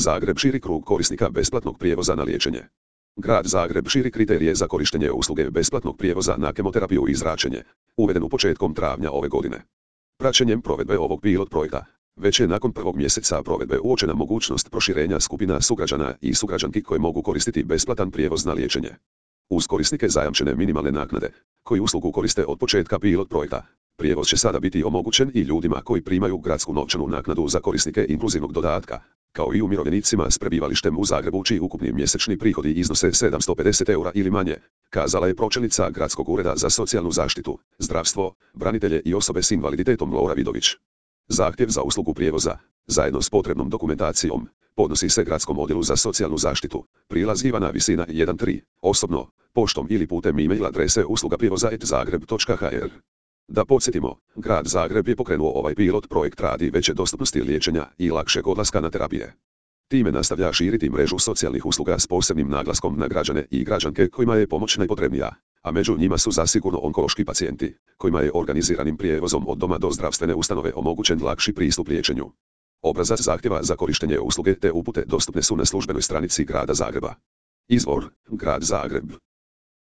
Zagreb širi krug korisnika besplatnog prijevoza na liječenje. Grad Zagreb širi kriterije za korištenje usluge besplatnog prijevoza na kemoterapiju i zračenje, uvedenu početkom travnja ove godine. Praćenjem provedbe ovog pilot projekta, već je nakon prvog mjeseca provedbe uočena mogućnost proširenja skupina sugrađana i sugrađanki koje mogu koristiti besplatan prijevoz na liječenje. Uz korisnike zajamčene minimalne naknade, koji uslugu koriste od početka pilot projekta, prijevoz će sada biti omogućen i ljudima koji primaju gradsku novčanu naknadu za korisnike inkluzivnog dodatka, kao i umirovljenicima s prebivalištem u Zagrebu čiji ukupni mjesečni prihodi iznose 750 eura ili manje, kazala je pročelnica Gradskog ureda za socijalnu zaštitu, zdravstvo, branitelje i osobe s invaliditetom Lora Vidović. Zahtjev za uslugu prijevoza, zajedno s potrebnom dokumentacijom, podnosi se Gradskom odjelu za socijalnu zaštitu, prilaz Ivana Visina 13, osobno, poštom ili putem e-mail adrese uslugaprijevoza@zagreb.hr. Da podsjetimo, Grad Zagreb je pokrenuo ovaj pilot projekt radi veće dostupnosti liječenja i lakšeg odlaska na terapije. Time nastavlja širiti mrežu socijalnih usluga s posebnim naglaskom na građane i građanke kojima je pomoć najpotrebnija, a među njima su zasigurno onkološki pacijenti, kojima je organiziranim prijevozom od doma do zdravstvene ustanove omogućen lakši pristup liječenju. Obrazac zahtjeva za korištenje usluge te upute dostupne su na službenoj stranici Grada Zagreba. Izvor: Grad Zagreb.